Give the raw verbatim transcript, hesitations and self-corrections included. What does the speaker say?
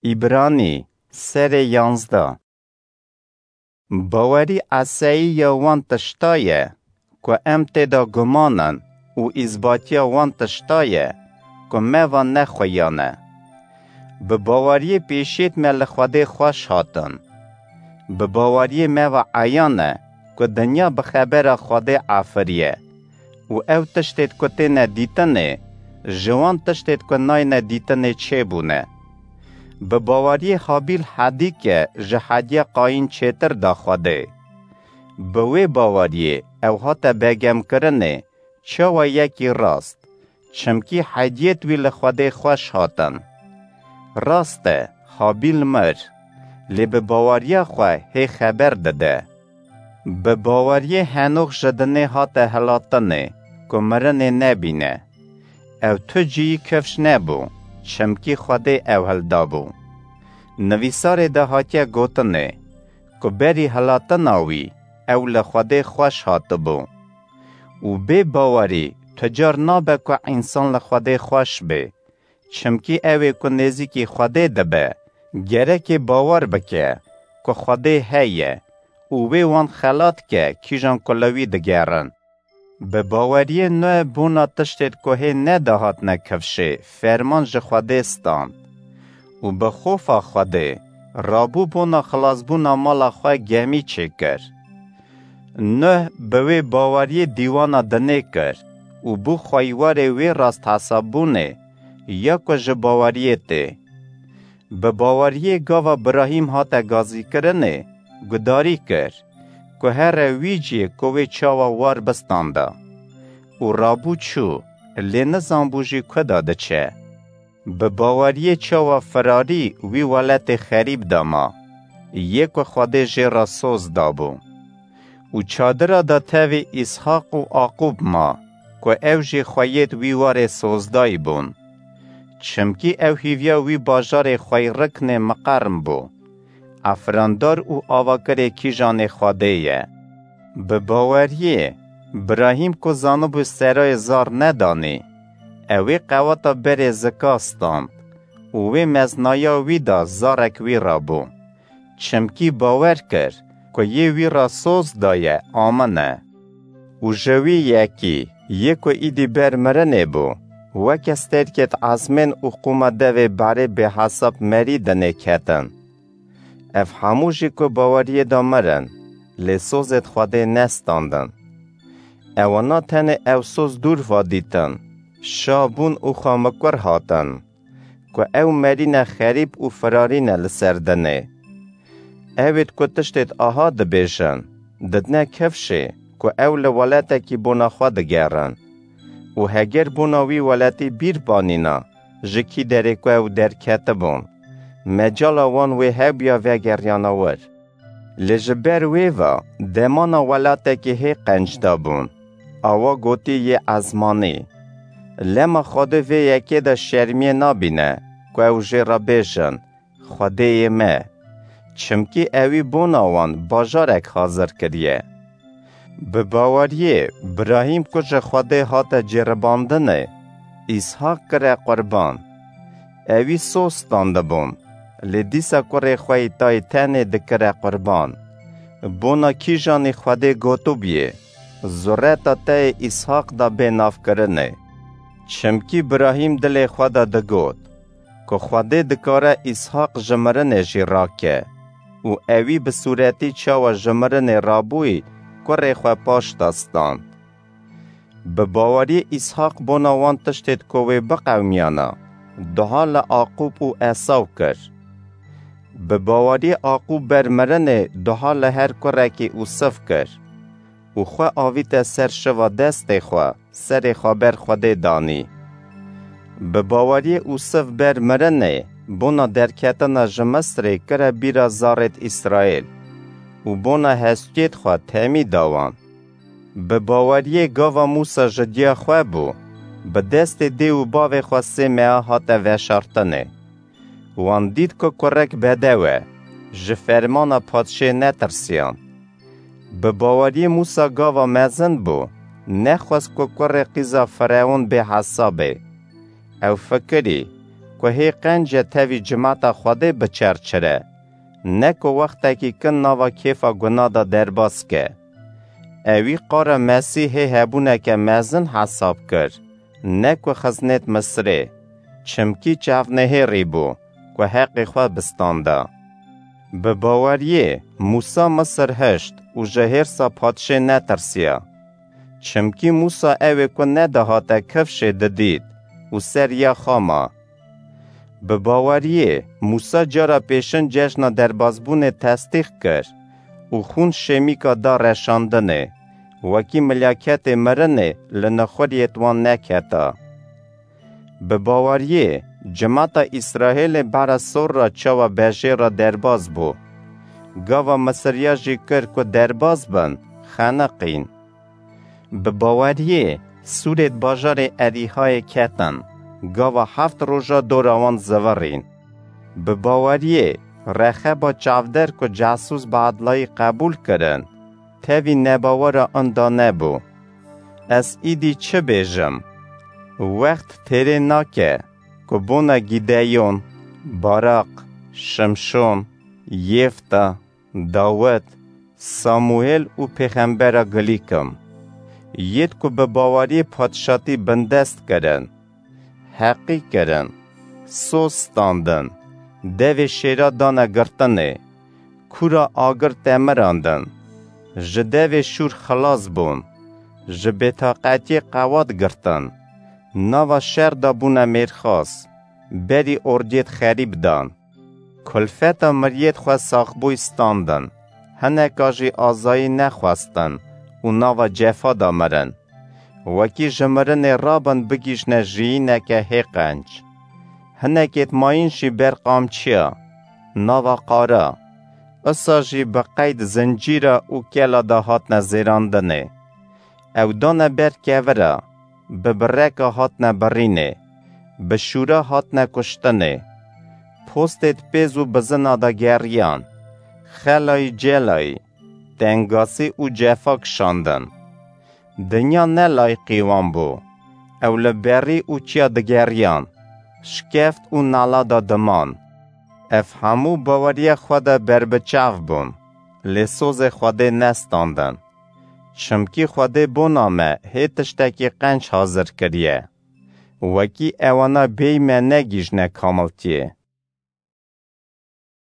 Îbranî, serê yanzdeh. Bawerî eseyî ya wan tişta ye, ku em tê de guman in û îzbatiya wan tişta ye, ku me va ne xuyan e. Bi baweriyê pêşiyêt me li Xwedê xweş hatin. Bi baweriyê me va eyan e, ku dinya bi xebera Xwedê afiriye û ew tiştêt ku têne dîtinê, ji wan tiştêt ku nayne dîtinê çêbûne. Bi baweriyê Habîl hedîke ji hediya Qayîn çêtir da Xwedê. Bi wê baweriyê ew hate begemkirinê, çawa yekî rast, çimkî hediyêt wî li Xwedê xweş hatin. Rast e, Habîl mir, lê bi baweriya xwe hê xeber dide. Bi baweriyê Henox ji dinê hate hilatinê, ku mirinê nebîne. Ew tu cihî kifş nebû, çimkî Xwedê ew hildabû. Nivîsarê de hatiye gotinê, ku berî hilatina wî ew li Xwedê xweş hatibû. Û bê bawerî tu car nabe ku însan li Xwedê xweş bê. Çimkî ew ê ku nêzîkî Xwedê dibe, gerekê bawer bike ku Xwedê heye û wê wan xelat ke kîjan ku li wî digerin. Bi baweriyê Noe bona tiştêt ku hê nedihatine kifşê, ferman ji Xwedê stand. Û bi xofa Xwedê, rabû bona xilasbûna mala xwe gemî çêkir. Noe bi wê baweriyê dîwana dinê kir û bû xweywarê wê rast hesabbûnê, ya ku ji baweriyê tê. Bi baweriyê gava Birahîm hate gazîkirinê, gudarî kir, ku here wî cihê ku wê çawa war bistanda. Û rabû çû, lê nizanbû jî ku de diçe. Bi baweriyê çawa firarî wî welatê xerîb de ma, yê ku Xwedê jê re soz dabû. Û çadira de tevî Îshaq û Aqûb ma, ku ew jî xweyêt wî warê sozdayî bûn. Çimkî ew hîviya wî bajarê xweyriknê miqerm bû. Efrandar û avakirê kîjanê Xwedê ye. Bi baweriyê, Birahîm ku zanibû serayê zar nedanî, ew ê qewata berê zika stand û wê meznaya wî de zarek wî re bû. Çimkî bawer kir, ku yê wî re soz daye, amin e. Û ji wî yekî, yê ku îdî ber mirinê bû, weke sterkêt ezmên û qûma devê berê bêhesab merî dinê ketin. Ev hemû jî ku baweriyê de mirin, lê sozêt Xwedê nestandin. Ewana tenê ew soz dûr va dîtin, şa bûn û xwe mikur hatin, ku ew merîne xerîb û firarîne li ser dinê. Ewêt ku tiştêt aha dibêjin, didine kifşê, ku ew li welatekî bona xwe digerin. Û heger bona wî welatî bîr banîna, ji kî derê ku ew derketibûn, mecala wan wê hebûya vegeriyana wir. Lê ji ber wê ve demana welatekî hê qenc de bûn. Awa gotî yê ezmanî. Lema Xwedê vê yekê de şermiyê nabîne, ku ew jê re bêjin, Xwedêyê me. Çimkî ewî bona wan bajarek hazir kiriye. Bi baweriyê Birahîm ku ji Xwedê hate cêribandinê, Îshaq kire qurban. Ewî soz standibûn, lê dîsa kurê xwe yî tayê tenê dikire qurban. Bona kîjanî Xwedê gotibûyê, zureta te yê Îshaq de bê navkirinê. Çimkî Birahîm dilê xwe de digot, ku Xwedê dikare Îshaq ji mirinê jî rake û ewî bi sûretî çawa ji mirinê rabûyî kurê xwe paş de stand. Bi baweriyê Îshaq bona wan tiştêt ku wê biqewimiyana, duha li Aqûb û Esaw kir. Bi baweriyê Aqûb ber mirinê duha li her kurekî Ûsiv kir û xwe avîte ser şiva destê xwe, serê xwe ber Xwedê danî. Bi baweriyê Ûsiv ber mirinê bona derketina ji Misrê kire bîra zarêt Îsraîl û bona hestiyêt xwe temî da wan. Bi baweriyê gava Mûsa ji diya xwe bû, bi destê dê û bavê xwe sê meha hate veşartinê. Wan dît ku kurek bedew e, ji fermana padşê netirsiyan. Bi baweriyê Mûsa gava mezin bû, nexwest ku kurê qîza Firewn bê hesabê. Ew fikirî, ku hê qenc e tevî cimata Xwedê biçerçire, ne ku wextekî kin nava kêfa guna de derbas ke. Ewî qara Mesîh hê hebûneke mezin hesab kir, ne ku xiznêt Misirê, çimkî çavnehêrî bû, ku heqê xwe bistanda. Bi baweriyê Mûsa Misir hişt û ji hêrsa padşê netirsiya. Çimkî Mûsa ewê ku nedihate kifşê didît û ser ya xwe ma. Bi baweriyê Mûsa cara pêşin cejna derbazbûnê testîq kir û xûn şêmîka da reşandinê, wekî milyaketê mirinê li nexuriyêt wan neketa. Bi baweriyê cimata Îsraêlê bera sor re çawa bejêr re derbaz bû. Gava Misiriya jî kir ku derbaz bin, xeniqîn. Bi baweriyê sûrêt bajarê Erîhayê ketin, gava heft roja dora wan zivirîn. Bi baweriyê Rexeba çavder ku casûs bi edlayî qebûl kirin, tevî nebawera inda nebû. Ez îdî çi bêjim? Wext têrê nake ku bona Gîdeyon, Baraq, Şimşon, Yêfta, Dawid, Samuêl û pêxembera gilî kim. Yêt ku bi baweriyê padşatî bindest kirin, heqî kirin, soz standin, devê şêra dane girtinê, kûra agir temirandin, ji devê şûr xilas bûn, ji bêtaqetiyê qewat girtin, nava şer de bûne mêrxas, berî ordiyêt xerîb dan. Kulfeta miriyêt xwe saxbûy standin, hineka jî azayî nexwestin û nava cefa de mirin. Wekî ji mirinê rabin bigihîjne jiyîneke hê qenc. Hinekêt mayîn jî ber qamçiya, nava qara, isa jî bi qeyd zincîra û kela de hatine zêrandinê. Ew dane ber kevira, bi bireka hatine birînê, bi şûra hatine kuştinê. Postêt pêz û bizina de geriyan, xelayî celayî, tengasî û cefa kişandin. Dinya ne layqî wan bû. Ew li berî û çiya digeriyan, şikeft û nala de diman. Ev hemû baweriya xwe de berbiçav bûn, lê sozê Xwedê nestandin. Çimkî Xwedê bona me hê tiştekî qenc hazir kiriye. Wekî ewana bêyî me negihîjne kamiltiyê.